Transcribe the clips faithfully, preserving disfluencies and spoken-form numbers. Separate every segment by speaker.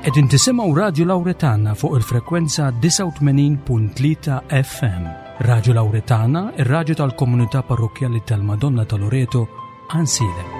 Speaker 1: Qegħdin tisimgħu Radju Lawretana fuq il-frekwenza disgħa u tmenin punt tlieta F M. Radju Lawretana, ir-radju tal-komunità parrokkjali tal-Madonna ta' Loreto, Għajnsielem.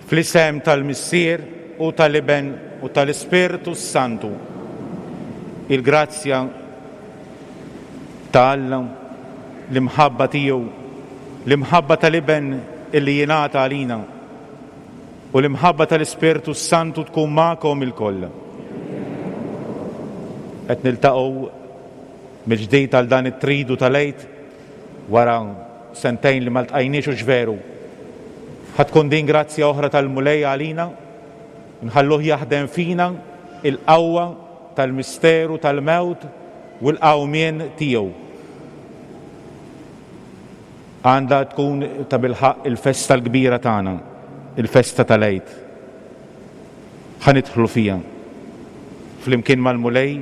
Speaker 2: Fl-isem tal-Missier u tal-Iben u tal-Ispirtu Santu, il-grazzja ta' Alla, l-imħabba tiegħu, l-imħabba tal-Iben illi jingħata għalina, u l-imħabba tal-Ispirtu Santu tkun magħkom ilkoll. Qed niltaqgħu mill-ġdid għal dan it-tridu tal-Għid wara sentejn li ma ltqajniex u veru. Ħa tkun din grazzja oħra tal-Mulej għalina, nħalluh jaħdem fina il-qawwa tal-misteru tal-mewt u l-qawmien tiegħu. Għandha tkun ta' bilħaqq il-festa l-kbira tagħna, il-festa tal-Għid. Ħa nidħlu fiha flimkien mal-Mulej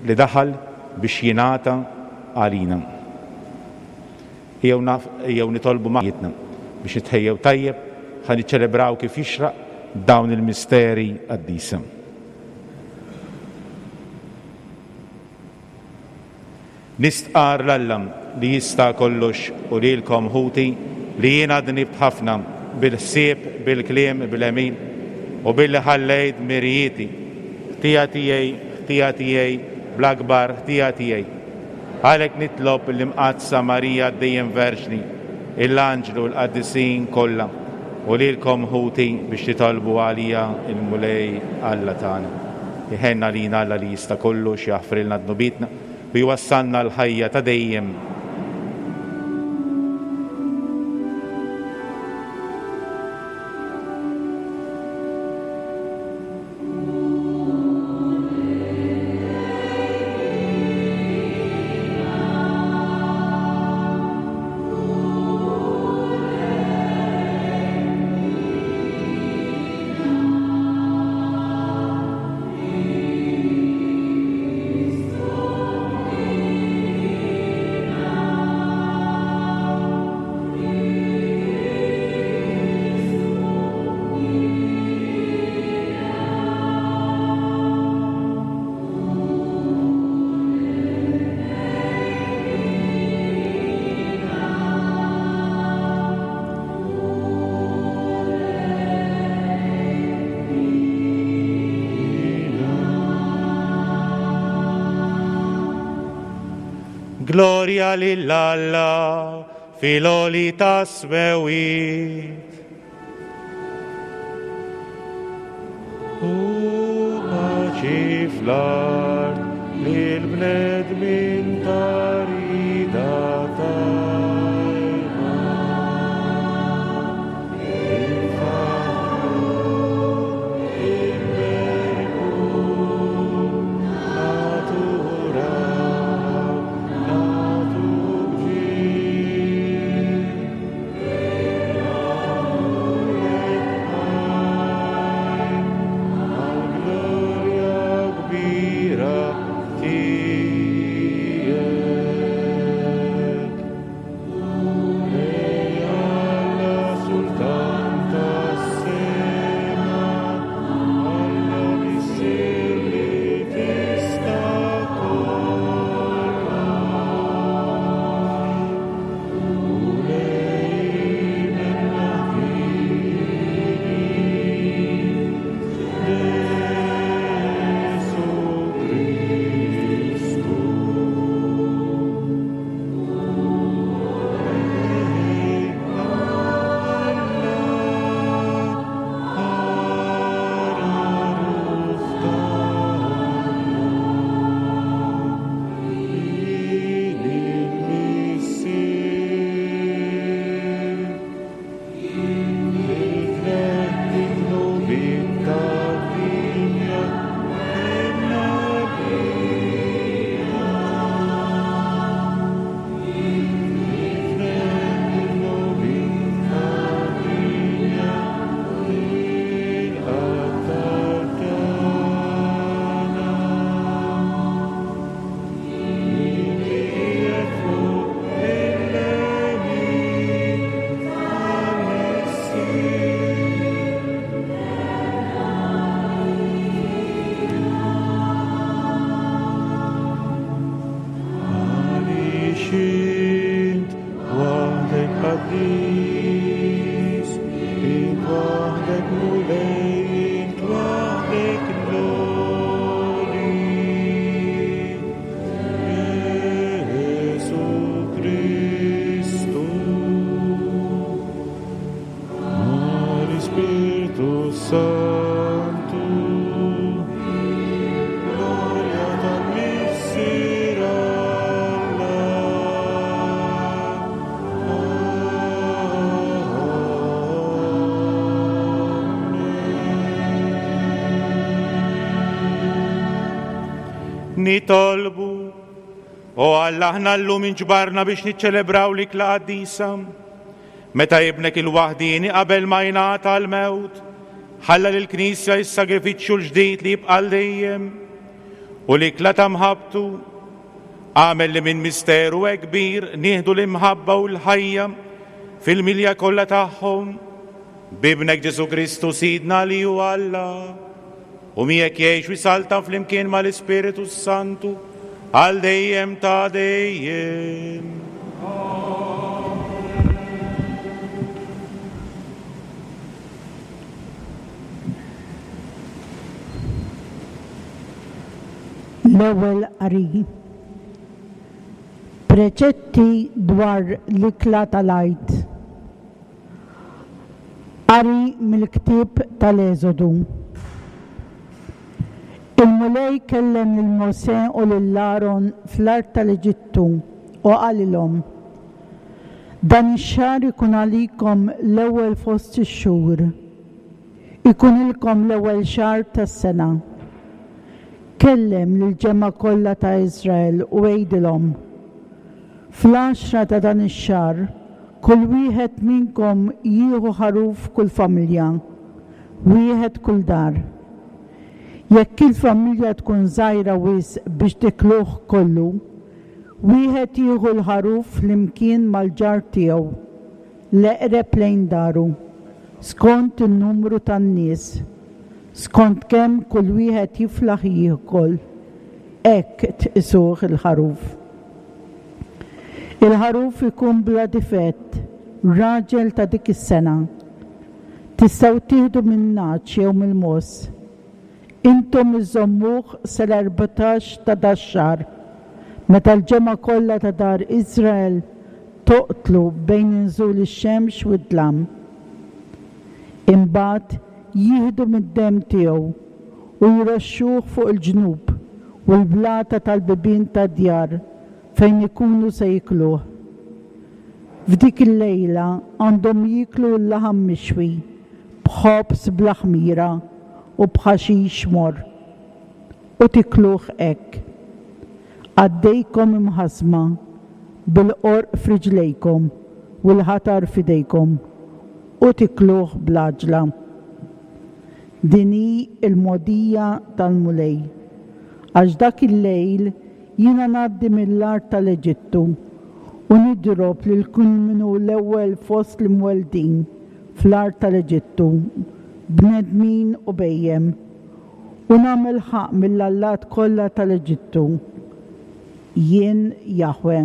Speaker 2: li daħal biex jingħata għalina. Ejjew nitolbu maħjitna biex nitħejjew tajjeb ħa niċċelebraw kif jixraq dawn il-misteri qaddisa. Nistqar 'l Alla li jista' kollox u lilkom ħuti li jiena dnibt ħafna bil-ħsieb, bil-kliem, bil-għemil u billi ħallejt mirijieti, ħtija tiegħi, ħtija tiegħi, bl-akbar ħtija tiegħi. Għalhekk nitlob l-Imqaddsa Marija dejjem Verġni, l-Anġlu l-Qaddisin kollha u lilkom ħuti biex titolbu għalija il-Mulej Alla tagħna. Iħenna lina Alla li jista' kollox jaħfrilna dnubietna u jwassalna l-ħajja ta' dejjem. Gloria lil Alla fil-għoli tas-smewwiet. U paċi fl-art lil bnedmin ta' rida tajba. Infaħħru, inberku, naturaw, nagħtu ġieħ. Nagħmlulek ħajr għall-glorja kbira tiegħek. Nitolbu. O Alla, aħna llum inġbarna biex niċċelebraw l-ikla qaddisa. Meta ibnek il-waħdieni qabel ma jingħata l-mewt, ħalla lill-Knisja s-sagrifiċċju l-ġdid li jibqa' dejjem u l-ikla ta' mħabbtu għamel li minn misteru hekk kbir nieħdu l-imħabba u l-ħajja fil-milja kollha tagħhom b'ibnek Ġesù Kristu Sidna li hu Alla u miegħek jgħix u jsaltan flimkien mal-Ispiritu Santu għal dejjem ta' dejjem.
Speaker 3: L-ewwel qari. Preċetti dwar l-ikla tal-Għid. Qari mill-ktieb tal-Eżodu. Il-Mulej kellem lil Mosè u lil Aron fl-art tal-Eġittu u qalilhom: Dan ix-xahar ikun għalikom l-ewwel fost ix-xhur. Ikun ilkom l-ewwel xahar tas-sena. Kellem lill-ġemgħa kollha ta' Iżrael u għidilhom: Fl-għaxra ta' dan ix-xahar, kull wieħed minnkom jieħu ħaruf kull familja, wieħed kull dar. Jekk il-familja tkun żgħira wisq biex tikluh kollu, wieħed jieħu l-ħaruf flimkien mal-ġar tiegħu, l-eqreb lejn daru, skont in-numru tan-nies, skont kemm kull wieħed jiflaħ jiekol, hekk tqisuh il-ħaruf. Il-ħaruf ikun bla difett, raġel ta' dik is-sena. Tistgħu tieħdu min-nagħaġ jew mill-mogħoż. Intom iżommuh sal-erbatax ta' dax-xahar, meta l-ġemgħa kollha ta' dar Iżrael toqtlu bejn inżul ix-xemx u d-dlam. Imbagħad jieħdu mid-demm tiegħu u jroxxuh fuq il-ġnub u l-blata tal-bibien tad-djar fejn ikunu se jikluh. F'dik il-lejla għandhom jieklu l-laħam mixwi b'ħobż bla ħmira u b'ħaxix morr, u tikluh hekk. Għaddejkom imħażma bil-qorq f'riġlejkom u l-ħatar f'idejkom, u tikluh bl-għaġla. Din hi l-mogħdija tal-Mulej, għax dak il-lejl jiena ngħaddi mill-art tal-Eġittu u nidrob lil kull min hu l-ewwel fost l-imweldin fl-art tal-Eġittu, bnedmin u bhejjem, u nagħmel ħaqq mill-allat kollha tal-Eġittu. Jien Jahwe.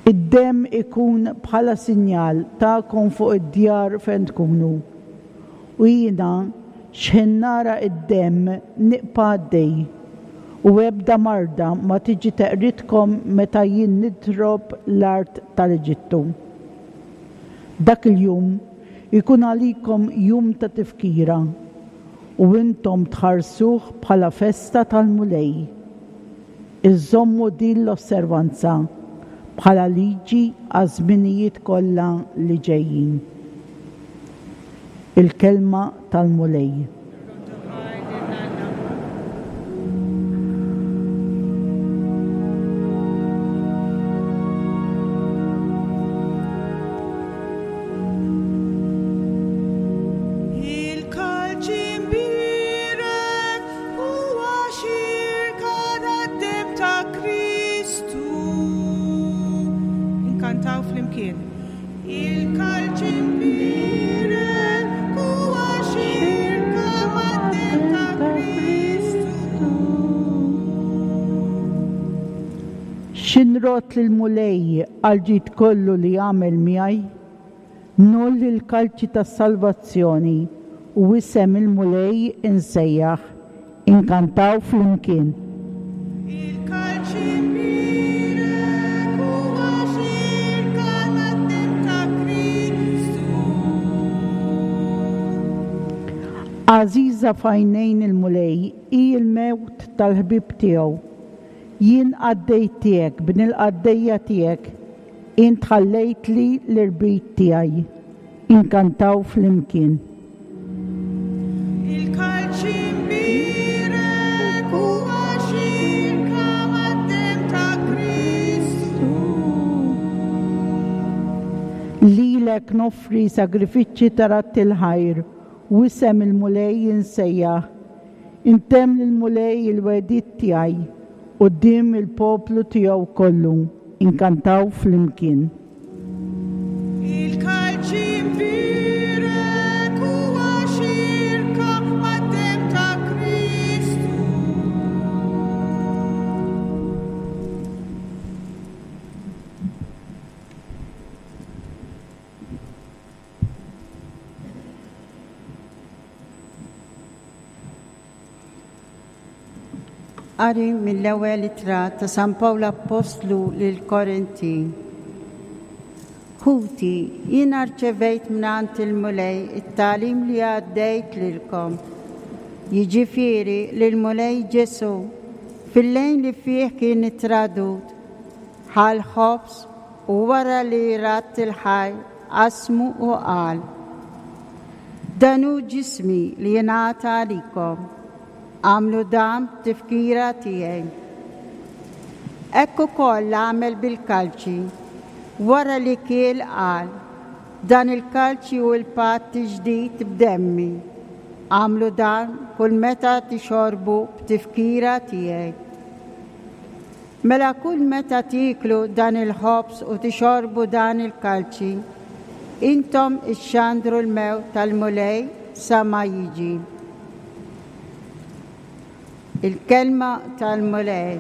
Speaker 3: Id-demm ikun bħala sinjal tagħkom fuq id-djar fejn tkunu. U jiena x'ħin nara id-demm nibqa' għaddej, u ebda marda ma tiġi teqridkom meta jien nidrob l-art tal-Eġittu. Dak il-jum ikun għalikom jum ta' tifkira, u intom tħarsuh bħala festa tal-Mulej. Iżommu din l-osservanza bħala liġi għaż-żminijiet kollha li ġejjin. Il-kelma tal-Mulej.
Speaker 4: Il-kalċi mbierek huwa xirka tad-demm ta' Kristu. Inkantaw flimkien. Il-kalċi mbierek huwa xirka mad-demm ta' Kristu.
Speaker 3: X'inrott lill-Mulej għall-ġid kollu li għamel miegħi? Ngħolli l-kalċi tas-salvazzjoni u isem il-Mulej insejjaħ. Inkantaw flimkien.
Speaker 4: Il-kalċi mbierek huwa xirka tad-demm ta' Kristu.
Speaker 3: Għażiża f'għajnejn il-Mulej hi l-mewt tal-ħbieb tiegħu. Jien qaddej tiegħek, bnin il-qaddejja tiegħek, int ħallejtli l-irbit tiegħi. Inkantaw flimkien.
Speaker 4: Il-kalċi mbierek huwa
Speaker 3: Lilek noffri sagrifiċċji ta' radd il-ħajr u isem il-Mulej insejjaħ. Intemm lill-Mulej il-wegħdiet tiegħi quddiem il-poplu tiegħu kollu. Inkantaw flimkien.
Speaker 4: Il-kalċi mbierek huwa xirka mad-demm ta' Kristu.
Speaker 5: Qari mill-ewwel ittra ta' San Pawl Appostlu lil Korintin. Ħuti, jiena rċevejt mingħand il-Mulej it-tagħlim li għaddejt lilkom. Jiġifieri li l-Mulej Ġesù fil-lejl li fih kien ittradut, ħa l-ħobż u wara li radd il-ħajr qasmu u qal: Dan hu ġismi li jingħata għalikom. Għamlu dan b'tifkira tiegħi. Hekk ukoll għamel bil-kalċi. Wara li kiel qal: Dan il-kalċi hu l-patt ġdid b'demmi. Għamlu dan kull meta tixorbu b'tifkira tiegħi. Mela kull meta tieklu dan il-ħobż u tixorbu dan il-kalċi, intom ixxandru l-mewt tal-Mulej sa ma jiġi. Il-kelma tal-Mulej.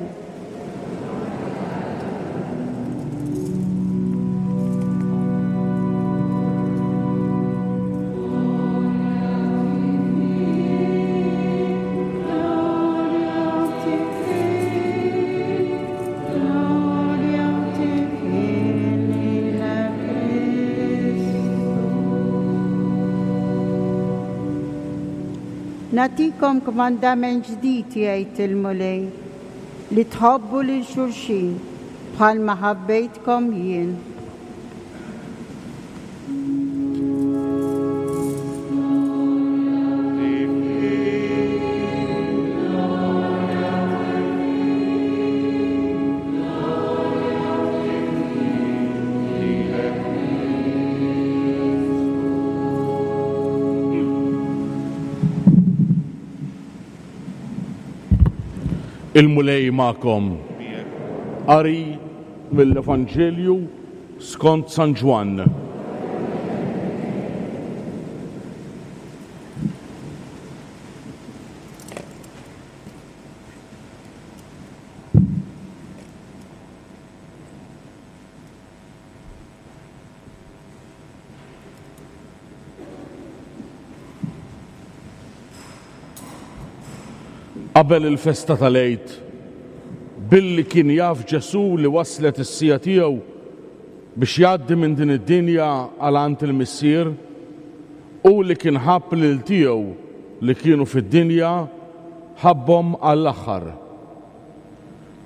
Speaker 5: Nagħtikom kmandament ġdid, jgħid il-Mulej, li tħobbu lil xulxin bħalma ħabbejtkom jien.
Speaker 6: Il-Mulej magħkom. Qari mill-Evanġelju skont San Ġwann. Qabel il-festa tal-Għid, billi kien jaf Ġesù li waslet is-siegħa tiegħu biex jgħaddi minn din id-dinja għal għand il-Missier, u li kien ħabb lil tiegħu li kienu fid-dinja, ħabbhom għall-aħħar.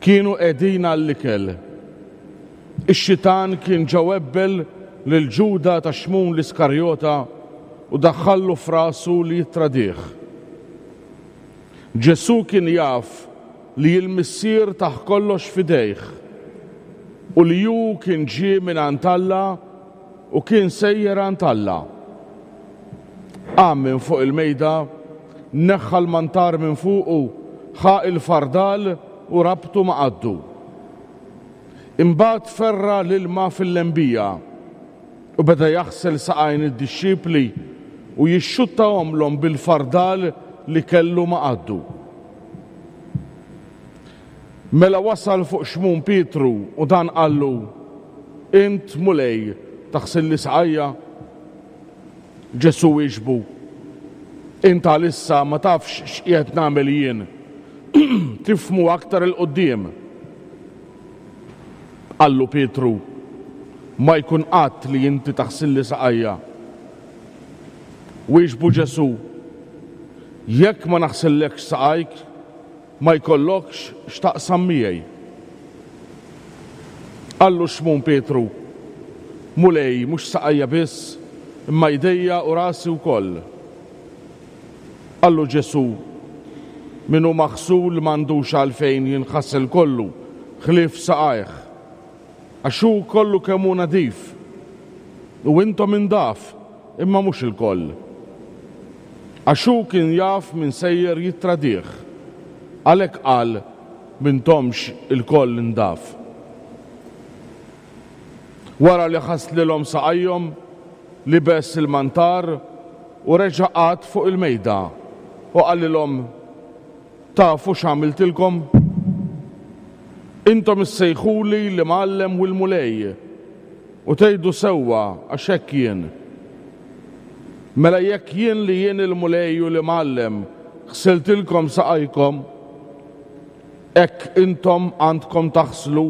Speaker 6: Kienu qegħdin għall-ikel. Ix-xitan kien ġa webbel lil Ġuda ta' Xmun l-Iskarjota u daħħallu f'rasu li jittradih. Ġesù kien jaf li l-Missier tah kollox f'idejh u li hu kien ġie minn għand Alla u kien sejjer għand Alla. Qam minn fuq il-mejda, neħħa l-mantar minn fuqu, ħa il-fardal u rabtu ma' qaddu. Imbagħad ferra l-ilma fil-lembija u beda jaħsel saqajn id-dixxipli u jixxuttahomlhom bil-fardal li kellu ma' qaddu. Mela wasal fuq Xmun Pietru u dan qallu: Int Mulej taħsilli saqajja? Ġesù wieġbu: Int għalissa ma tafx x'qiegħed nagħmel jien, tifhmu aktar 'il quddiem. Qallu Pietru: Ma jkun qatt li inti taħsilli saqajja. Wieġbu Ġesù: Jekk ma naħsillekx saqajk, ma jkollokx x'taqsam miegħi. Qallu Xmun Pietru: Mulej, mhux saqajja biss, imma jdejja u rasi wkoll. Qallu Ġesù: Min hu maħsul m'għandux għalfejn jinħasel kollu, ħlief saqajh, għax hu kollu kemm hu nadif. U intom indaf, imma mhux ilkoll. Għax hu kien jaf min sejjer jittradih. Għalhekk qal m'intomx ilkoll indaf. Wara li ħaslilhom saqajhom, libes il-mantar u reġa' qagħad fuq il-mejda u qalilhom: Tafu x'għamiltilkom? Intom issejħuli l-Imgħallem u l-Mulej, u tgħidu sewwa għax hekk jien. Mela jekk jien li jien il-Mulej u l-Imgħallem ħsiltilkom saqajkom, hekk intom għandkom taħslu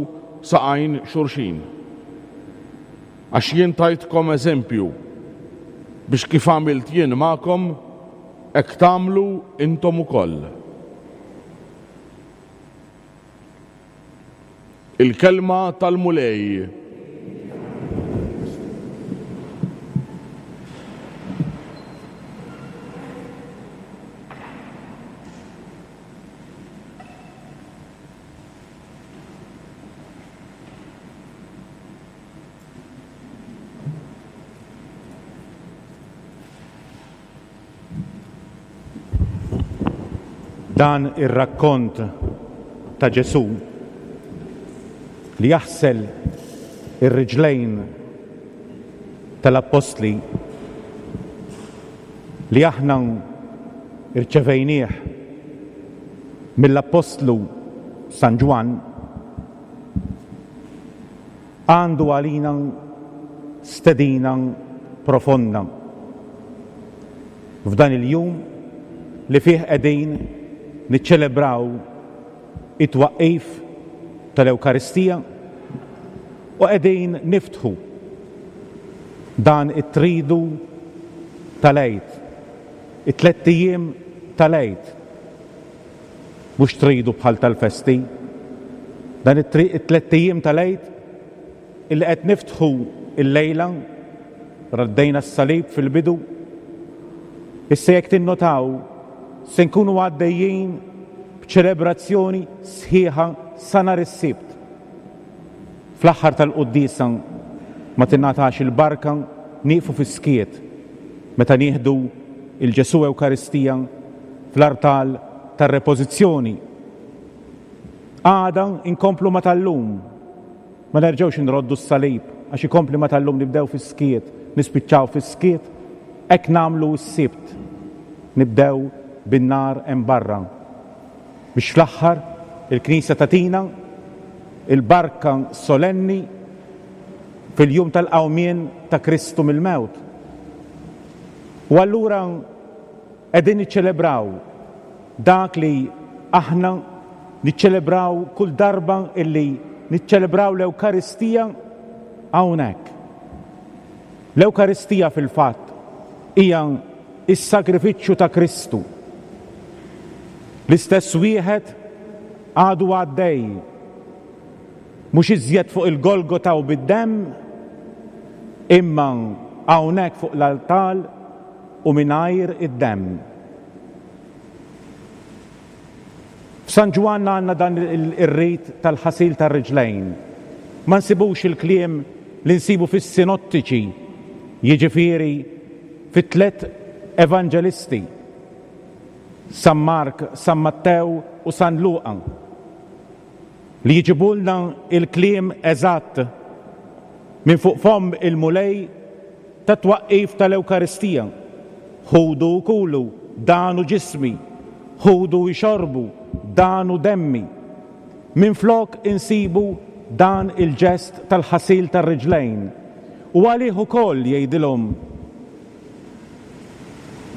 Speaker 6: saqajn xulxin. Għax jien tajtkom eżempju biex kif għamilt jien magħkom, hekk tagħmlu intom ukoll. Il-kelma tal-Mulej.
Speaker 2: Dan ir-rakkont ta' Ġesù li jaħsel ir-riġlejn tal-appostli li aħna rċevejnieh mill-appostlu San Ġwann għandu għalina stedina profonda f'dan il-jum li fih qegħdin niċċelebraw it-twaqqif tal-Ewkaristija u qegħdin niftħu dan it-tridu tal-Għid, it-tlett ijiem tal-Għid. Mhux tridu bħal tal-festi, dan it-tlett ijiem tal-Għid illi qed niftħu il-lejla, raddejna s-salib fil-bidu. Issa jekk tinnotaw se nkunu għaddejjin b'ċelebrazzjoni sħiħa sa nhar is-Sibt. Fl-aħħar tal-quddiesa ma tingħatax il-barka, nieqfu fis-skiet meta nieħdu il-Ġesù Ewkaristija fl-artal tar-repożizzjoni. Għada inkomplu ma tal-lum, ma nerġgħux inroddu s-salib għax ikompli ma tal-lum, nibdew fis-skiet, nispiċċaw fis-skiet, hekk nagħmlu s-Sibt. Nibdew bin-nar hemm barra biex fl-aħħar il-Knisja tagħtina il-barka solenni fil-jum tal-qawmien ta' Kristu mill-mewt. U allura qegħdin niċċelebraw dak li aħna niċċelebraw kull darba illi niċċelebraw l-Ewkaristija hawnhekk. L-Ewkaristija fil-fatt hija is-sagrifiċċju ta' Kristu. L-istess wieħed għadu għaddej, mhux iżjed fuq il-Golgota u bid-demm, imma hawnhekk fuq l-altar u mingħajr id-demm. F'San Ġwann għandna dan ir-rit tal-ħasil tar-riġlejn. Ma nsibux il-kliem li nsibu fis-sinottiċi, jiġifieri fit-tliet evanġelisti, San Mark, San Mattew u San Luqa, li jġibulna il-kliem eżatt minn fuq fomm il-Mulej ta' twaqqif tal-Ewkaristija. Ħudu u kulu, dan hu ġismi, ħudu u xorbu, dan hu demmi. Minflok insibu dan il-ġest tal-ħasil tar-riġlejn. U għalih ukoll jgħidilhom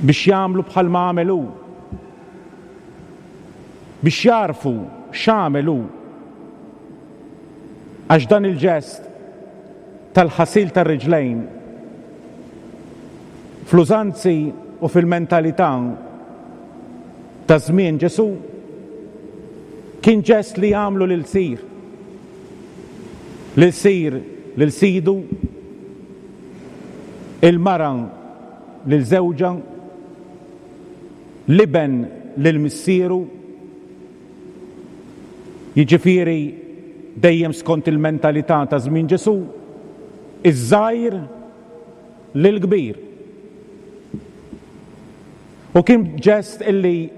Speaker 2: biex jagħmlu bħalma għamel hu, biex jarfu x'għamel hu. Għax dan il-ġest tal-ħasil tar-riġlejn fl-użanzi u fil-mentalità ta' żmien Ġesù kien ġest li jagħmlu lil sir, lil sir lil sidu, il-mara lil żewġha, l-iben lil missieru, jiġifieri dejjem skont il-mentalità ta' żmien Ġesù, iż-żgħir lill-kbir. U kien ġest illi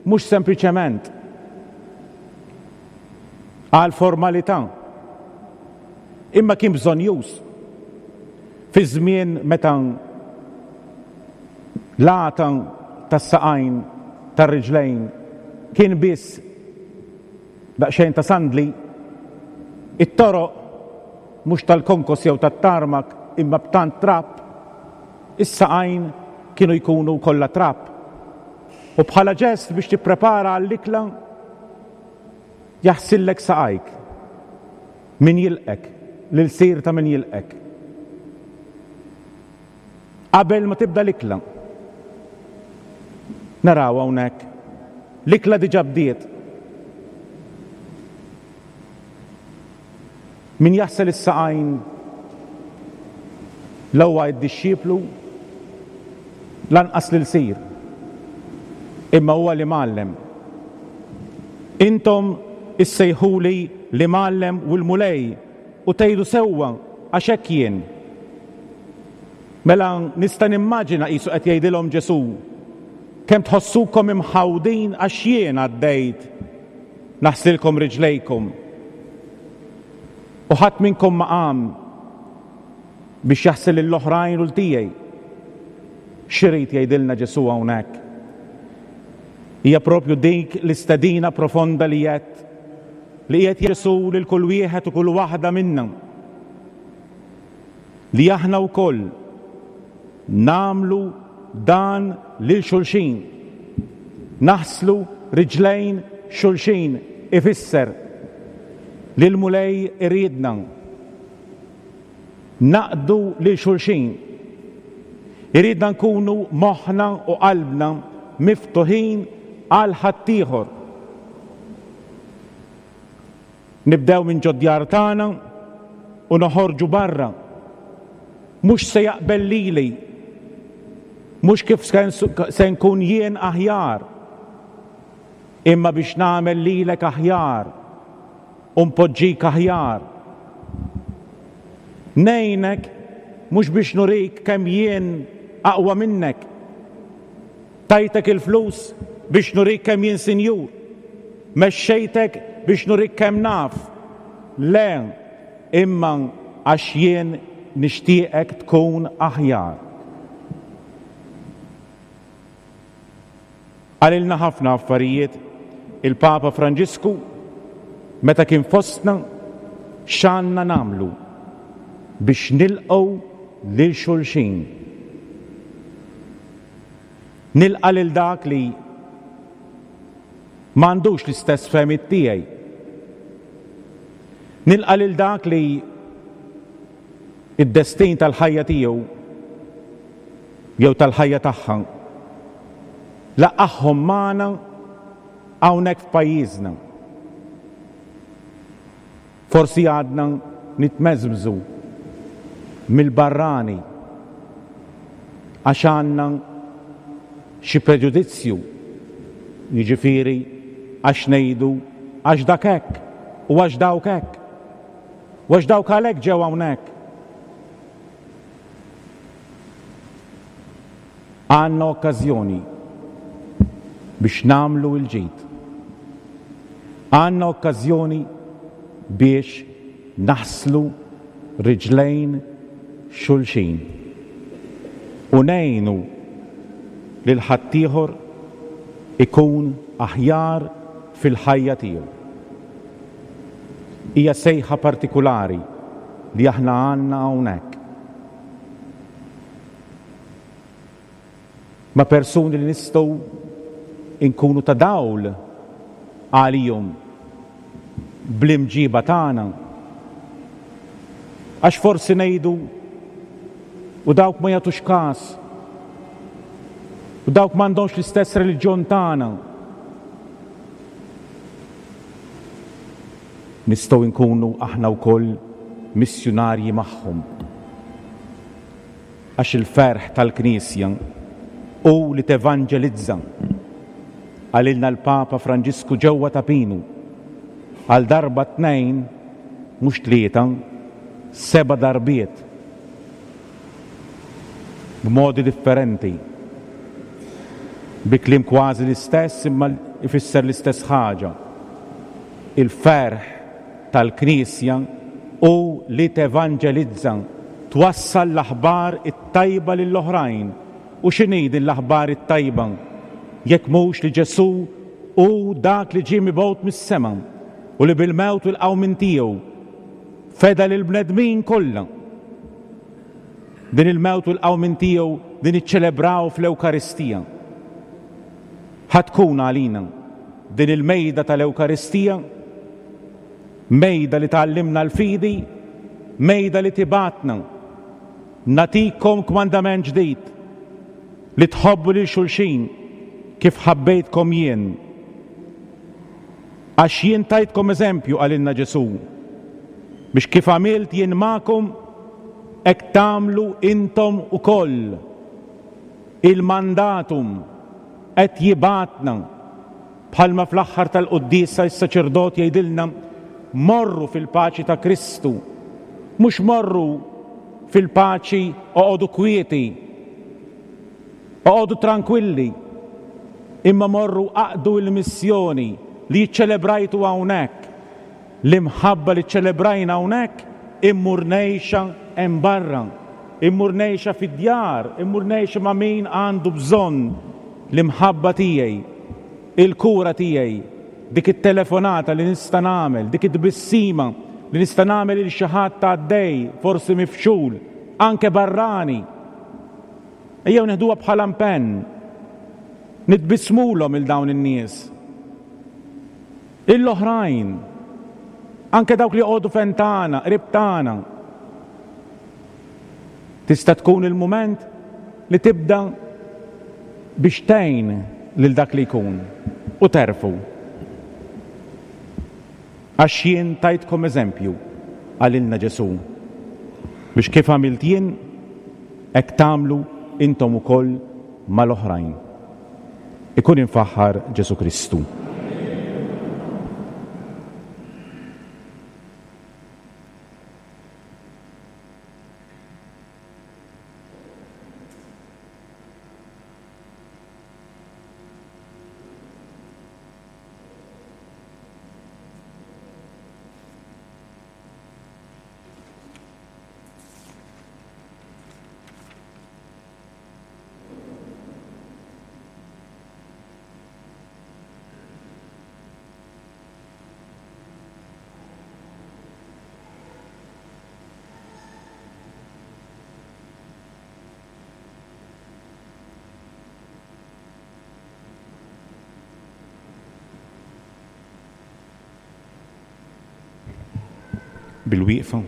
Speaker 2: mhux sempliċement għal formalità, imma kien bżonnjuż fi żmien meta l-għata tas-saqajn tar-riġlejn kien biss daqsxejn ta' sandli, it-toroq mhux tal-konkos jew tat-tarmak imma b'tant trab, is-saqajn kienu jkunu kollha trab. U bħala ġest biex tipprepara għall-ikla jaħsillek saqajk min jilqek, l-ilsir ta' min jilqek. Qabel ma tibda l-ikla. Naraw hawnhekk l-ikla diġà bdiet. Min jaħsel is-saqajn la huwa d-dixxiplu lanqas l-ilsir, imma huwa l-imgħallem. Intom issejħuli l-imgħallem u l-Mulej u tgħidu sewwa għax hekk jien. Mela nista' nimmaġina qisu qed jgħidilhom Ġesù, kemm tħossukom imħawdin għax jien għaddejt naħsilkom riġlejkom. U ħadd minnkom ma qam biex jaħsel lill-oħrajn u l-tiegħi. X'irid jgħidilna Ġesù hawnhekk? Hija propju dik l-istedina profonda li qed li qiegħed Ġesù lil kull wieħed u kull waħda minna. Li aħna wkoll nagħmlu dan lil xulxin. Naħslu riġlejn xulxin ifisser li l-Mulej iridna naqdu lil xulxin. Iridna nkunu moħħna u qalbna miftuħin għal ħaddieħor. Nibdew minn ġod-djar tagħna u noħorġu barra. Mhux se jaqbel lili, mhux kif se nkun jien aħjar, imma biex nagħmel lilek aħjar u npoġġik aħjar. Ngħinek mhux biex nurik kemm jien aqwa minnek. Tajtek il-flus biex nurik kemm jien sinjur. Mexxejtek biex nurik kemm naf. Le, imma għax jien nixtieqek tkun aħjar. Qalilna ħafna affarijiet il-Papa Franġisku meta kien fostna x'għandna nagħmlu biex nilqgħu lil xulxin. Nilqa' lil dak li m'għandux l-istess fehmiet tiegħi. Nilqa' lil dak li id-destin tal-ħajja tiegħu jew tal-ħajja tagħha laqagħhom magħna hawnhekk f'pajjiżna. Forsi għadna nitmeżmżu mill-barrani għax għandna xi preġudizzju, jiġifieri għax ngħidu għax dak hekk u għax dawk hekk u għax dawk għalhekk ġew hawnhekk. Għandna okkażjoni biex nagħmlu l-ġid. Għandna okkażjoni biex naħslu riġlejn xulxin u ngħinu lil ħaddieħor ikun aħjar fil-ħajja tiegħu. Hija sejħa partikulari li aħna għandna hawnhekk. Ma' persuni li nistgħu nkunu ta' dawl għalihom bl-imġiba tagħna. Għax forsi ngħidu u dawk ma jagħtux każ, u dawk m'għandhomx l-istess reliġjon tagħna. Nistgħu nkunu aħna wkoll missjunarji magħhom. Għax il-ferħ tal-Knisja hu li tevanġelizza. Qalilna l-Papa Franġisku ġewwa Ta' Pinu għal darba tnejn, mhux tlieta, seba' darbiet. B'modi differenti. Bi kliem kważi l-istess imma ifisser l-istess ħaġa. Il-ferħ tal-Knisja hu li tevanġelizza, twassal l-aħbar it-tajba lill-oħrajn. U x'inhi din l-aħbar it-tajba? Jekk mhux li Ġesù hu dak li ġie mibgħut mis-sema u li bil-mewt u l-qawmien tiegħu feda lill-bnedmin kollha. Din il-mewt u l-qawmien tiegħu din iċċelebraw fl-Ewkaristija. Ħa tkun għalina din il-mejda tal-Ewkaristija, mejda li tgħallimna l-fidi, mejda li tibgħatna. Nagħtikom kmandament ġdid, li tħobbu lil xulxin kif ħabbejtkom jien. Għax jien tajtkom eżempju, qalilna Ġesù, biex kif għamilt jien magħkom, hekk tagħmlu intom ukoll. Il-mandatum qed jibgħatna, bħalma fl-aħħar tal-quddiesa s-saċerdot jgħidilna morru fil-paċi ta' Kristu, mhux morru fil-paċi oqogħdu kwieti, oqogħdu tranquilli, imma morru aqdu l-missjoni li ċċelebrajtu hawnhekk, l-imħabba li ċċelebrajna hawnhekk immur ngħixha hemm barra, immur ngħixha fid-djar, immur ngħixha ma' min għandu bżonn l-imħabba tiegħi, il-kura tiegħi, dik it-telefonata li nista' nagħmel, dik it-tbissima li nista' nagħmel lil xi ħadd għaddej, forsi mifxul, anke barrani. Ejjew neħduha bħala impenn, nitbissmulhom il dawn in-nies. Il-oħrajn, anke dawk li joqogħdu fejn tagħna, qrib tagħna. Tista' tkun il-mument li tibda biex tgħin lil dak li jkun u terfu. Għax jien tajtkom eżempju, qalilna Ġesù, biex kif għamilt jien, hekk tagħmlu intom ukoll mal-oħrajn. Ikun imfaħħar Ġesù Kristu. Bil-wieqfa.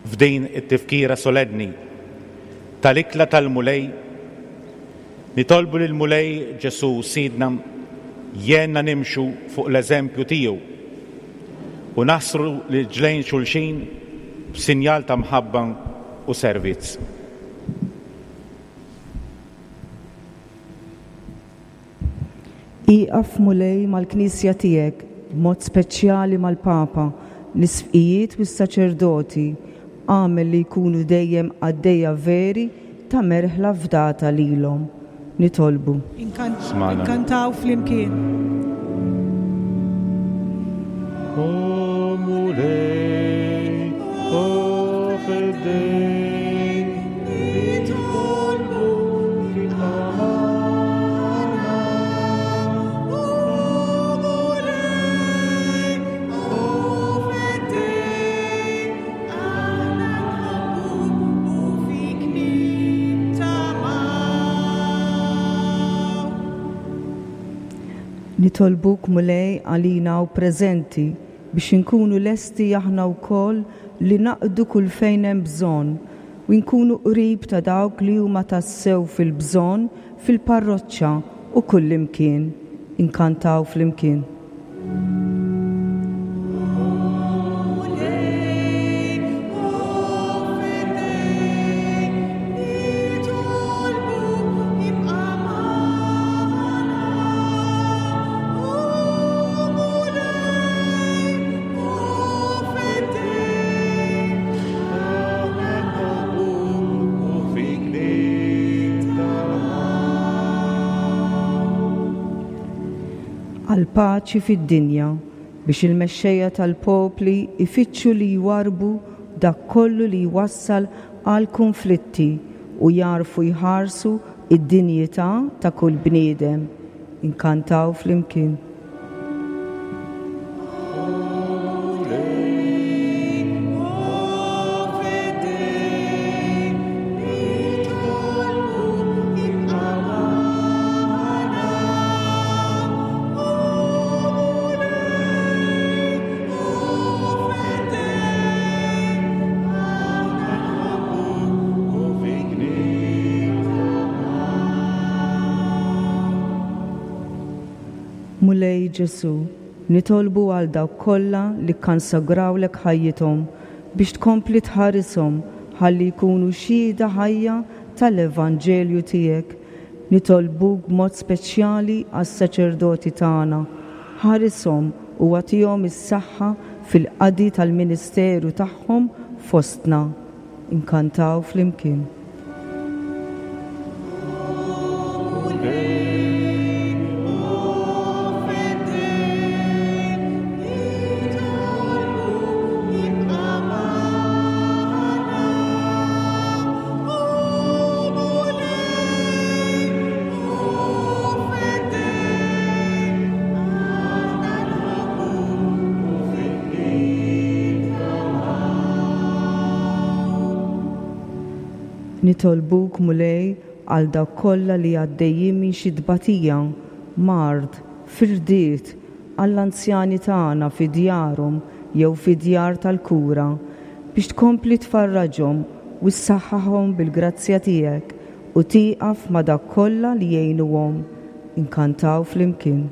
Speaker 2: F'din it-tifkira solenni tal-ikla tal-Mulej, nitolbu lil Mulej Ġesù Sidna jgħinna nimxu fuq l-eżempju tiegħu u naħsru l-ġlejn xulxin b'sinjal ta' mħabba u servizz.
Speaker 7: Ieqaf Mulej mal-Knisja tiegħek, b'mod speċjali mal-Papa, l-isqfijiet u s-saċerdoti, agħmel li jkunu dejjem qaddejja veri ta' merħla fdata lilhom. Nitolbu.
Speaker 2: Smana.
Speaker 4: Inkantaw flimkien.
Speaker 2: O Mulej, o Feddej, nitolbu tibqa' magħna.
Speaker 4: O Mulej, o Feddej, aħna nħobbuk u fik nittamaw.
Speaker 7: Nitolbuk Mulej għalina u preżenti biex inkunu lesti aħna wkoll li naqdu kull fejn hemm bżonn u nkunu qrib ta' dawk li huma tassew fil-bżonn fil-parroċċa u kull imkien. Inkantaw flimkien.
Speaker 4: Mulej, o Feddej, nitolbu ibqa' magħna. O Mulej,
Speaker 7: il-paċi fid-dinja biex il-mexxejja tal-popli ifittxu li jwarrbu dak kollu li jwassal għal kunflitti u jagħrfu jħarsu id-dinjità ta' kull bniedem. Inkantaw flimkien. Mulej Ġesu, nitolbu għal dawk kollha li kkonsagrawlek ħajjithom biex tkompli tħarishom ħalli jkunu xhieda ħajja tal-Evanġelju tiegħek. Nitolbuk b'mod speċjali għas-saċerdoti tagħna. Ħarishom u agħtihom is-saħħa fil-qadi tal-ministeru tagħhom fostna. Inkantaw flimkien. Nitolbuk Mulej għal dawk kollha li għaddejjin minn xi tbatija, mard, firdiet, għall-anzjani tagħna fi djarhom jew fi djar tal-kura, biex tkompli tfarraġhom u ssaħħaħhom bil-grazzja tiegħek u tieqaf ma' dawk kollha li jgħinuhom. Inkantaw flimkien.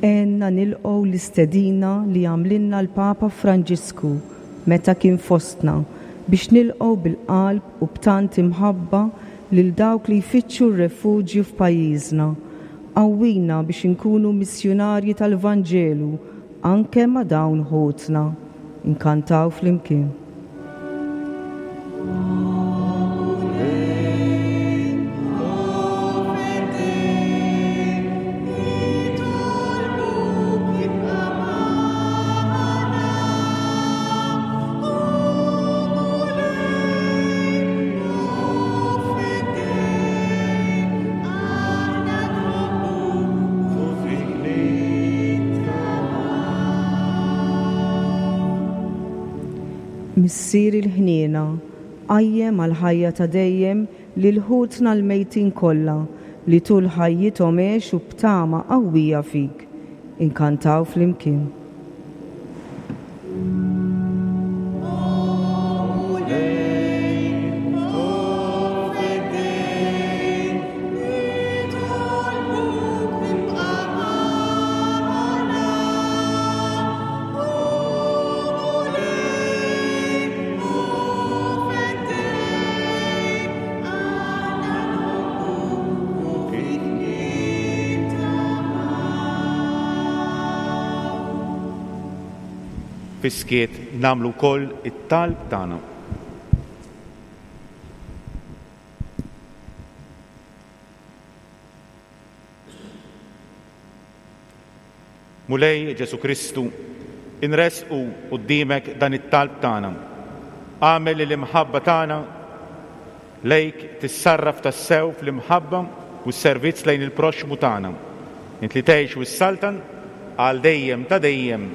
Speaker 7: Għenna nilqgħu l-istedina li għamlilna l-Papa Franġisku meta kien fostna biex nilqgħu bil-qalb u b'tant imħabba lil dawk li jfittxu r-refuġju f'pajjiżna. Qawwina biex inkunu missjunarji tal-Vanġelu anke ma' dawn ħutna. Inkantaw flimkien. Missier il-ħniena, qajjem għall-ħajja ta' dejjem lil ħutna l-mejtin kollha li tul ħajjithom għexu b'tama qawwija fik. Inkantaw flimkien.
Speaker 2: Fiskiet namlu wkoll it-talb tagħna. Mulej Ġesu Kristu, inresqu quddiemek dan it-talb tagħna. Agħmel li l-imħabba tagħna lejk tissarraf tassew fl-imħabba u s-servizz lejn il-proxxmu tagħna. Int li tgħix u s-saltan għal dejjem ta' dejjem.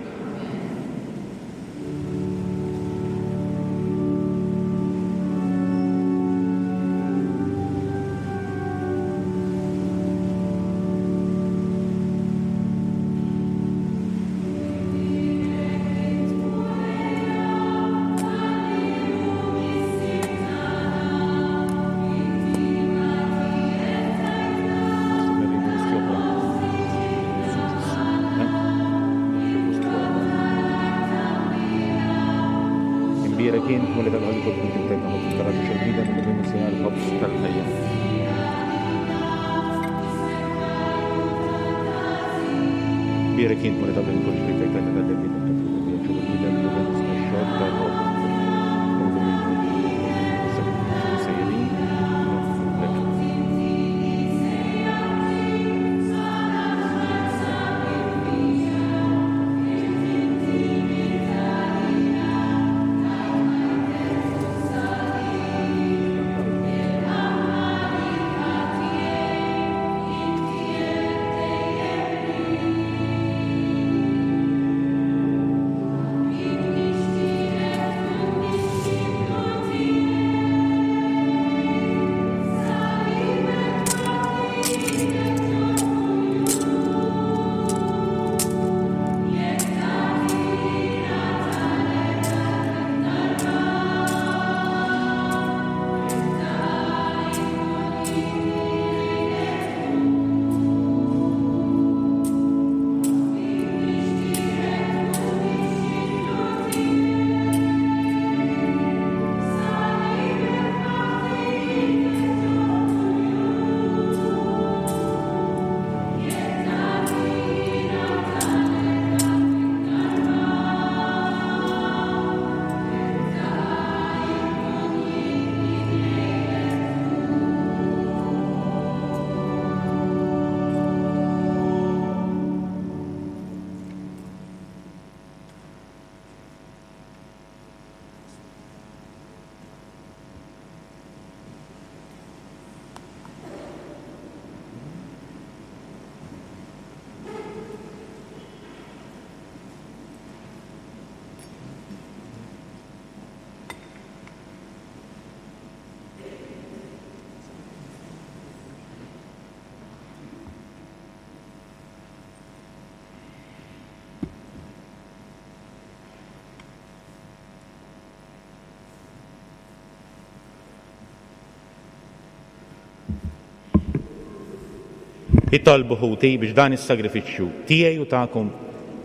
Speaker 2: Itolbu ħuti biex dan is-sagrifiċċju tiegħi u tagħkom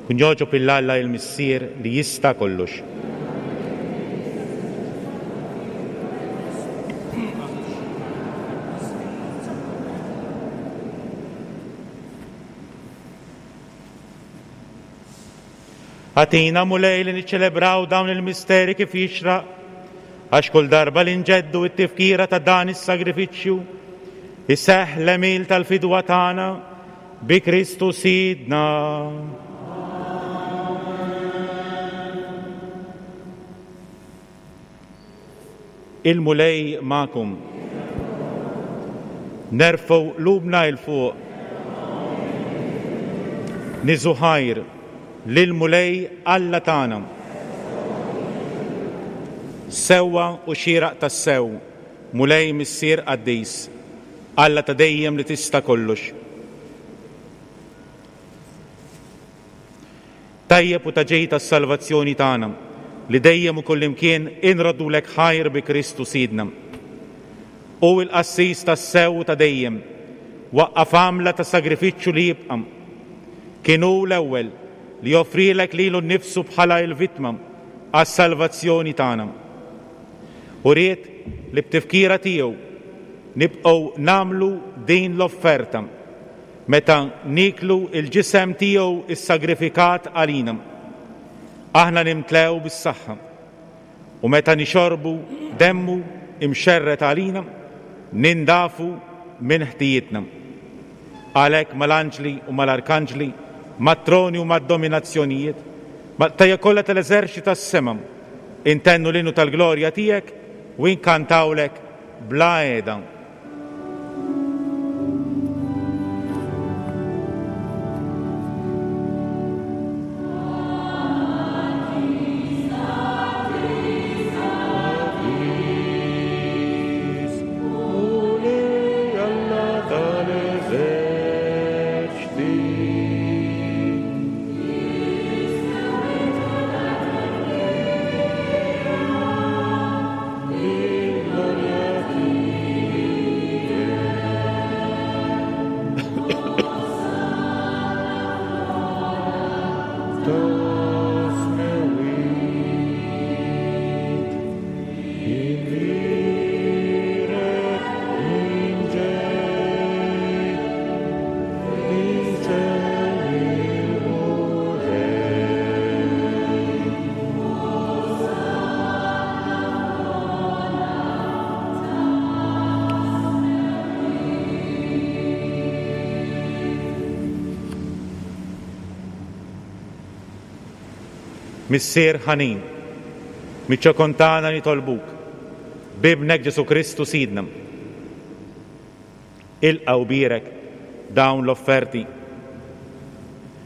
Speaker 2: kun jogħġob lil Alla il-Missier li jista' kollox. Agħtina Mulej li niċċelebraw dawn il-misteri kif jixraq, għax kull darba li nġeddu t-tifkira ta' dan is-sagrifiċċju iseħħ l-għemil tal-fidwa tagħna bi Kristu Sidna. Il-Mulej magħkom. Nerfgħu qlubna 'l fuq. Niżu ħajr lill-Mulej Alla tagħna. Sewwa u xieraq tassew, Mulej Missier Qaddis, Alla ta' dejjem li tista' kollox. Tajjeb u ta' ġej tas-salvazzjoni tagħna li dejjem u kullimkien inroddulek ħajr bi Kristu Sidna. U l-qassis tas-sew ta' dejjem waqqaf għamla ta' sagrifiċċju li jibqa'. Kien hu l-ewwel li joffrilek lilu nnifsu bħala l-vittma għas-salvazzjoni tagħna. U ried li b'tifkira tiegħu nibqgħu nagħmlu din l-offerta meta niklu l-ġisem tiegħu issagrifikat għalina. Aħna nimtlew bis-saħħa u meta nixorbu demmu imxerret għalina nindafu minn ħtijietna. Għalhekk mal-anġli u mal-arkanġli, mat-troni u mad-dominazzjonijiet, mal-qtajja kollha tal-eżerċti tas-sema, intennu l-innu tal-glorja tiegħek u inkantawlek bla qiegħda.
Speaker 4: Gloria.
Speaker 2: Missier ħanin, miċ-ċokon tagħna nitolbuk, b'Ibnek Ġesù Kristu Sidna. Ilqa' u bierek dawn l-offerti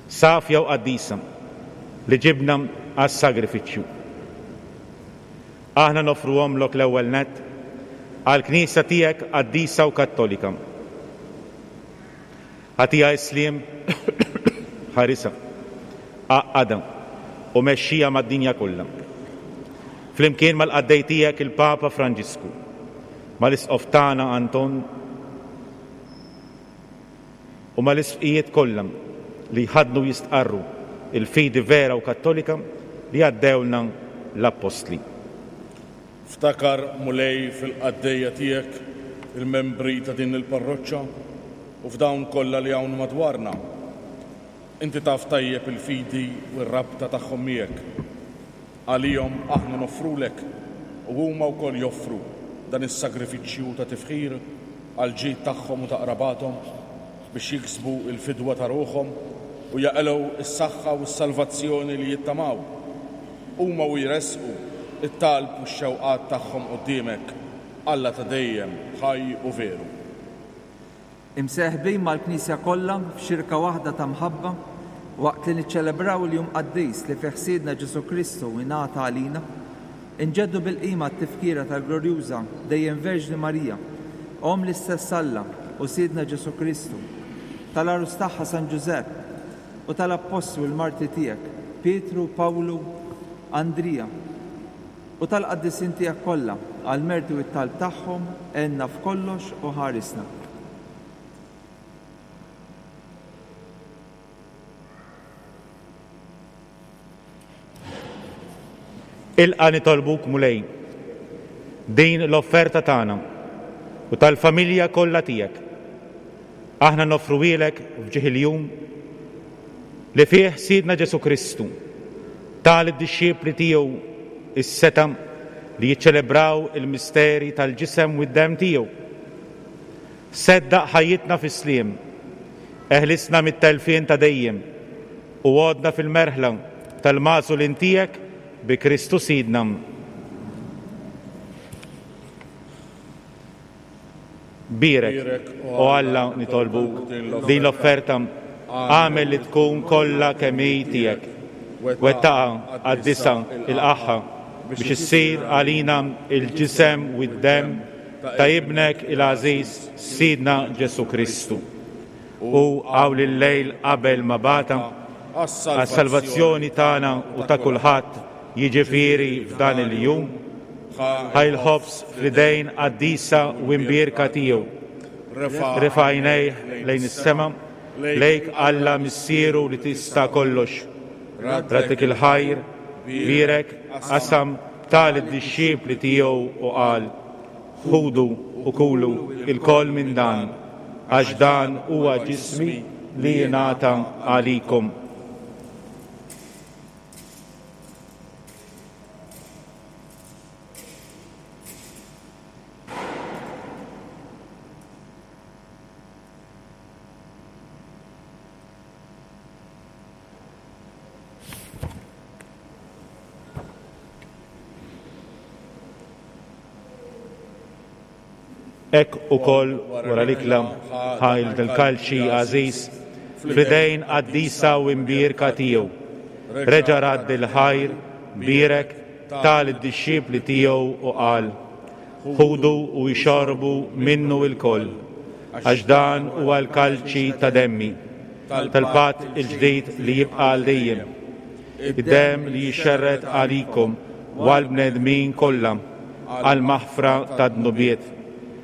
Speaker 2: safja u qaddisa li ġibna għas-sagrifiċċju. Aħna noffruhomlok l-ewwel nett għall-Knisja tiegħek qaddisa u Kattolika. Agħtiha s-sliem, ħarisha, għaqqadha u mexxija mad-dinja kollha. Flimkien mal-qaddej tiegħek il-Papa Franġisku, mal-Isqof tagħna Anton u mal-isqfijiet kollha li jħaddnu jistqarru il-fidi vera u kattolika li għaddewlna l-Appostli.
Speaker 6: Ftakar, Mulej, fil-qaddejja tiegħek, il-membri ta' din il-parroċċa u f'dawn kollha li hawn madwarna. Inti taf tajjeb il-fidi u r-rabta tagħhom miegħek. Għalihom aħna noffrulek u huma wkoll joffru dan is-sagrifiċċju ta' tifħir għall-ġid tagħhom u ta' qrabathom biex jiksbu l-fidwa ta' ruħhom u jaqilgħu s-saħħa u s-salvazzjoni li jittamaw. Huma u jressqu it-talb u x-xewqat tagħhom quddiemek, Alla ta' dejjem, ħaj u veru.
Speaker 8: Imseħbin mal-Knisja kollha f'xirka waħda ta' mħabba, waqt li niċċelebraw il-jum qaddis li fih Sidna Ġesù Kristu ingħata għalina, inġeddu bil-qima t-tifkira tal-glorjuża dejjem Verġni Marija, Omm l-istess Alla u Sidna Ġesù Kristu, tal-għarus tagħha San Ġużepp u tal-Appostli u l-martri tiegħek, Pietru, Pawlu, Andrija, u tal-qaddisin tiegħek kollha, għall-merti u t-talb tagħhom għenna f'kollox u ħarisna.
Speaker 2: Ilqa' nitolbuk, Mulej, din l-offerta tagħna u tal-familja kollha tiegħek. Aħna noffruhielek f'ġieħ il-jum li fih Sidna Ġesù Kristu ta lid-dixxipli tiegħu is-setgħa li jiċċelebraw il-misteri tal-ġisem u d-demm tiegħu. Seddaq ħajjitna fis-sliem, eħlisna mit-telfien ta' dejjem u għodna fil-merħla tal-magħżulin tiegħek bi Kristu Sidna. Bierek, o Alla, nitolbuk din l-offerta, agħmel li tkun kollha kemm hi tiegħek. Wettaqha, qaddisha, ilqagħha biex issir għalina il-ġisem u d-demm ta' Ibnek il-għażiż Sidna Ġesù Kristu. U hawn il-lejl qabel ma bata għas-salvazzjoni tagħna u ta' kulħadd, jiġifieri f'dan il-jum, ħa l-ħobż fl-idejn qaddisa u imbierka tiegħu. Refa' għajnejh lejn is-sema, lejk Alla Missieru li tista' kollox. Raddlek il-ħajr, bierek, qasam, ta lid-dixxipli tiegħu u qal: Ħudu u kulu ilkoll minn dan, għax dan huwa ġismi li jingħata għalikom. Hekk ukoll wara l-ikla ħa l-kalċi għażiż fl-idejn qaddisa u imbierka tiegħu. Reġa' radd il-ħajr, bierek, ta lid-dixxipli tiegħu u qal: Ħudu u jxorbu minnu lkoll, għax dan huwa l-kalċi ta' demmi, tal-patt il-ġdid li jibqa' għal dejjem. Id-demm li jixxerred għalikom u għall-bnedmin kollha għall-maħfra tad-dnubiet.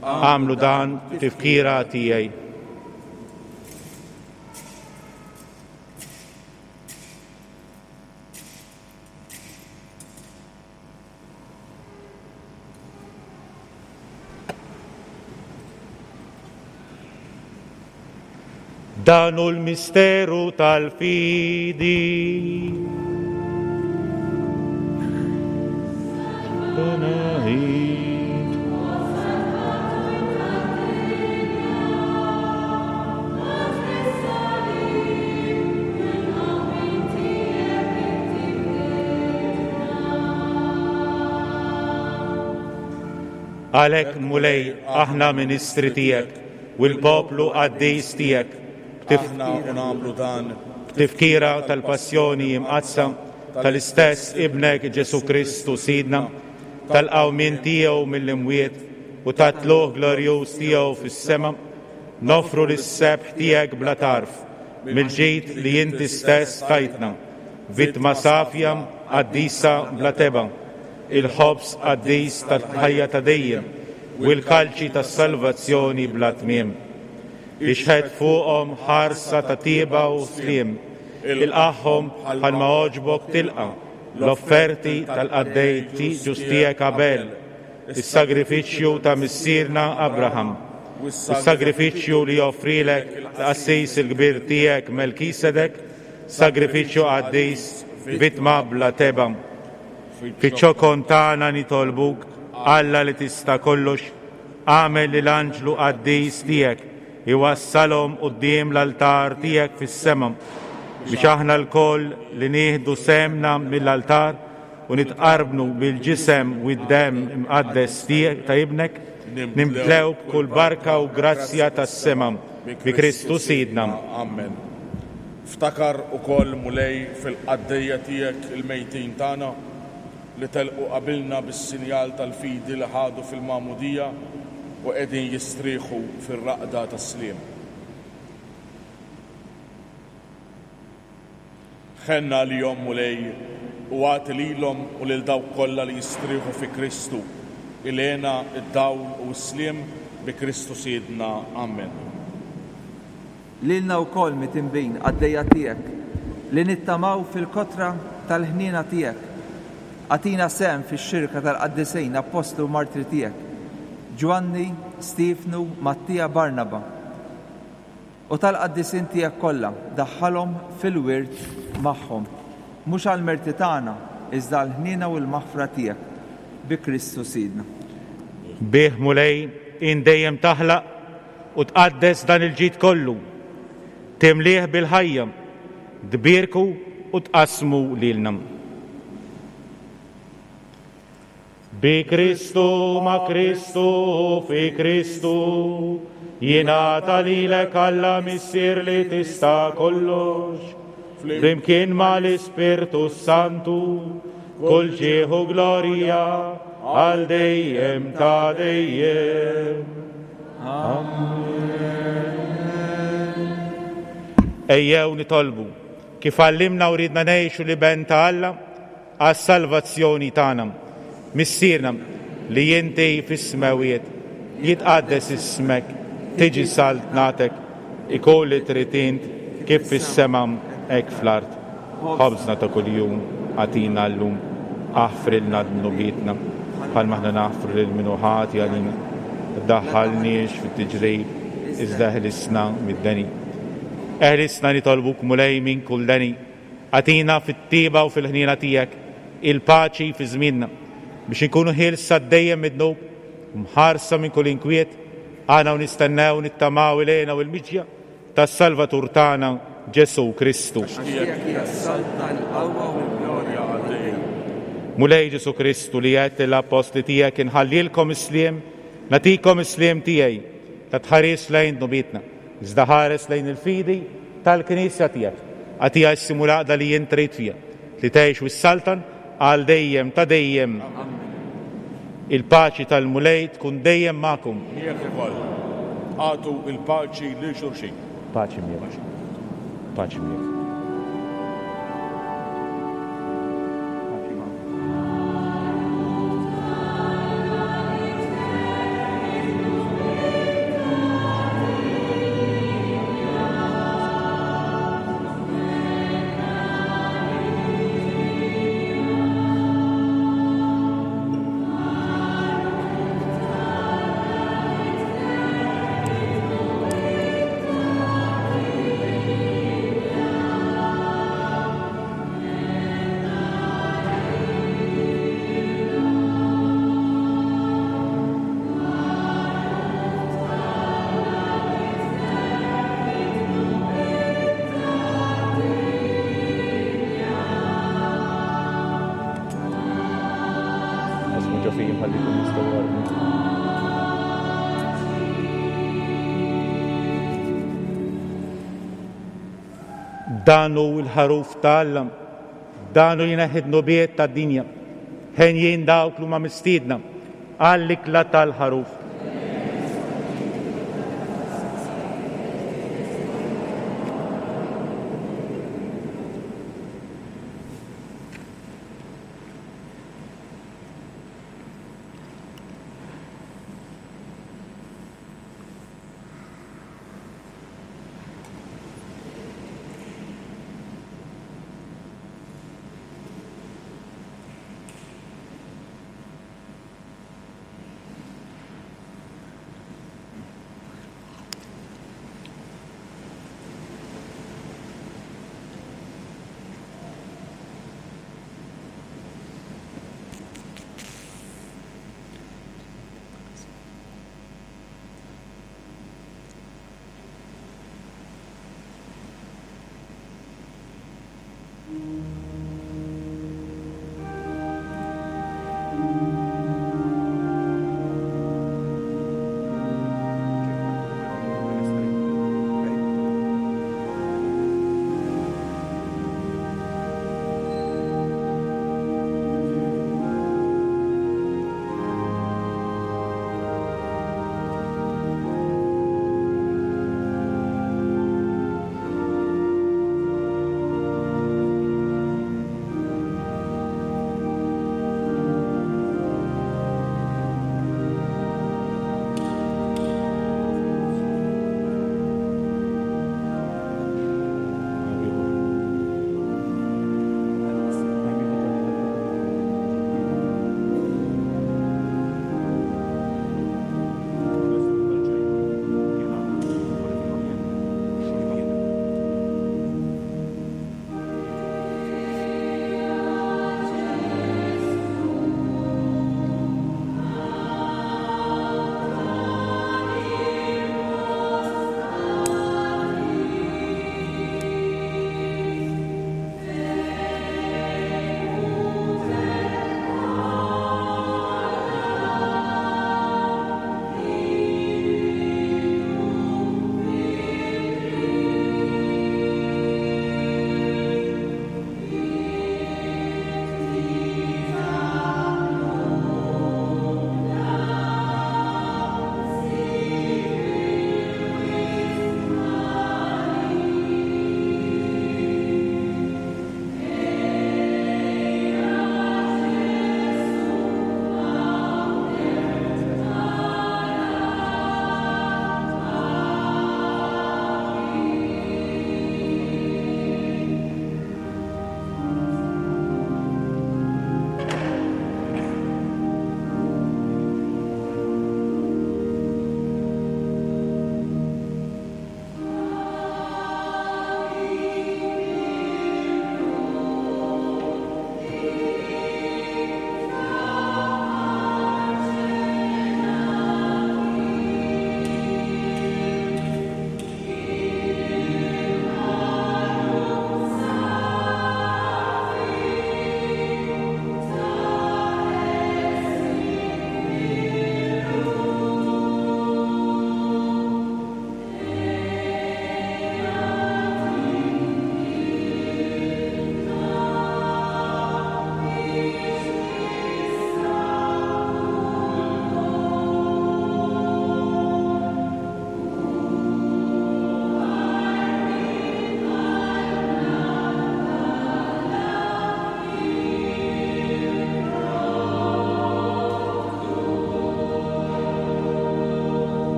Speaker 2: Agħmlu dan tifkira tiegħi. Dan hu l-misteru tal-fidi. Għalhekk, Mulej, aħna ministri tiegħek u l-poplu qaddis tiegħek
Speaker 6: Aħna u nagħmlu dan
Speaker 2: b'tifkira tal-passjoni imqaddsa tal-istess ibnek Ġesu Kristu Sidna, tal-qawmien tiegħu mill-imwiet u tat-tlugħ glorjuż tiegħu fis-sema, noffru lis-sebħ tiegħek bla tarf mill-ġid li inti stess tajtna, vittma safja qaddisa bla tebgħa, il-ħobż qaddis tal-ħajja ta' dejjem u l-kalċi tas-salvazzjoni bla tmiem. Ixħet fuqhom ħarsa ta' tieba u sliem, ilqagħhom bħalma għoġbok tilqa' l-offerti tal-qaddej ġust tiegħek Abel, is-sagrifiċċju ta' missierna Abraham, u s-sagrifiċċju li joffrilek l-qassis il-kbir tiegħek Melkisedek, sagrifiċċju qaddis, vittma bla tebgħa. Fiċ-ċokon tagħna nitolbuk, Alla li tista' kollox, agħmel li l-anġlu qaddis tiegħek iwassalhom quddiem l-altar tiegħek fis-sema, biex aħna lkoll li nieħdu sehemna mill-altar u nitqarbnu bil-ġisem u d-demm imqaddes tiegħek ta' ibnek, nimtlew b'kull barka u grazzja tas-sema bi Kristu Sidna.
Speaker 6: Amen. Ftakar ukoll, Mulej, fil-qaddejja tiegħek il-mejtin tagħna li telqu qabilna bis-sinjal tal-fidi li ħadu fil-magħmudija u qegħdin jistrieħu fir-raqda tas-sliem. Ħenna għalihom, Mulej, u agħti lilhom u lil dawk kollha li jistrieħu fi Kristu il-hena, id-dawl u s-sliem bi Kristu Sidna. Amen.
Speaker 8: Lilna wkoll mitinbin qaddejja tiegħek li nittamaw fil-kotra tal-ħniena tiegħek. Agħtina sehem fix-xirka tal-qaddisin apostlu u martri tiegħek, Ġwanni, Stiefnu, Mattia, Barnaba, u tal-qaddisin tiegħek kollha, daħħalhom fil-wirt magħhom, mhux għall-merti tagħna, iżda għall-ħniena u l-maħfra tiegħek, bi Kristu Sidna.
Speaker 2: Bih, Mulej, int dejjem taħlaq u tqaddes dan il-ġid kollu, timlieh bil-ħajja, tbierku u tqassmu lilna. Bi Kristu, ma' Kristu, fi Kristu, jingħata lilek Alla Missier li tista' kollox, flimkien mal-Ispirtu Santu, kull ġieħ u glorja għal dejjem ta' dejjem. Amen. Ejjew nitolbu kif għallimna u ridna ngħixu l-Iben ta' Alla għas-salvazzjoni tagħna. Missierna li inti fis-smewiet, jitqaddes ismek, tiġi saltnatek, ikun li trid int kif fis-sema hekk fl-art. Ħobżna ta' kuljum agħtina llum, aħfrilna dnubietna bħalma aħna naħfru lil min hu ħati għalina. Daħħalniex fit-tiġrib, iżda eħlisna mid-deni. Eħlisna nitolbuk, Mulej, minn kull deni. Agħtina fit-tiba u fil-ħniena tiegħek il-paċi fi żmienna, biex inkunu ħielsa dejjem mid-dnub u mħarsa minn kull inkwiet, aħna u nistennew nittamaw ilejna u l-miġja tas-Salvatur tagħna Ġesu Kristu.
Speaker 8: Għax tiegħek hija s-saltna, l-qawwa u l-glorja għal dejjem.
Speaker 2: Mulej Ġesu Kristu li għedt lill-appostli tiegħek inħallilkom is-sliem, nagħtikom is-sliem tiegħi, ta' tħares lejn dnubietna, iżda ħares lejn il-fidi tal-Knisja tiegħek. Agħtiha s-sliem u l-għaqda li int trid fiha, li tgħix u s-saltan għal dejjem ta' dejjem. Il-paċi tal-Mulej tkun dejjem magħkom.
Speaker 6: Miegħek ukoll. Agħtu il-paċi lil xulxin.
Speaker 2: Paċi miegħek. Paċi miegħek.
Speaker 4: Amen.
Speaker 2: Dan hu l-ħaruf ta' Alla, dan hu li jneħħi d-dnubiet tad-dinja. Henjin dawk li huma mistiedna għall-ikla tal-ħaruf.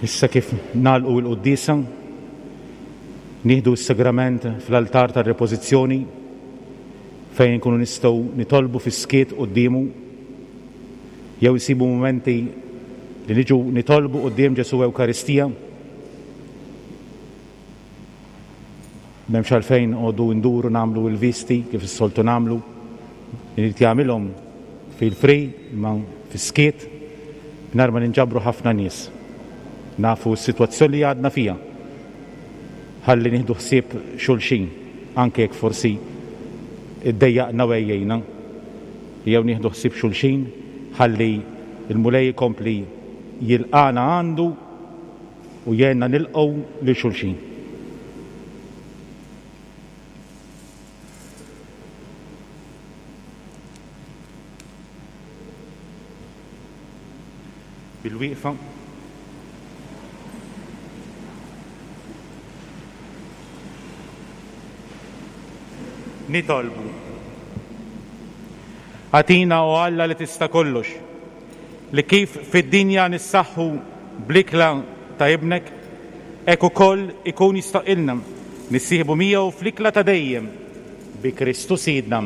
Speaker 2: Issa kif nagħlqu l-quddiesa, nieħdu s-sagrament fl-altar tar-repożizzjoni fejn nkunu nistgħu nitolbu fis-skiet quddiemu jew isibu mumenti li niġu nitolbu quddiem Ġesù Ewkaristija. M'hemmx għalfejn noqogħdu nduru nagħmlu l-visti kif is-soltu nagħmlu. Irid jagħmilhom fil-free imma fis-skiet mingħajr ma ninġabru ħafna nies. Nafu s-sitwazzjoni li għadna fija. Ħalli nieħdu ħsieb xulxin, anke jekk forsi iddejjaqna u għejjejna. Jew nieħdu ħsieb xulxin, ħalli il-Mulej ikompli jilqana għandu u jgħinna nilqgħu lil xulxin. Bil-wieqfa. Nitolbu. Agħtina, o Alla li tista' kollox, li kif fid-dinja nissaħħu bl-ikla ta' ibnek, hekk ukoll ikun jistaqilna nissieħbu miegħu fl-ikla ta' dejjem bi Kristu Sidna.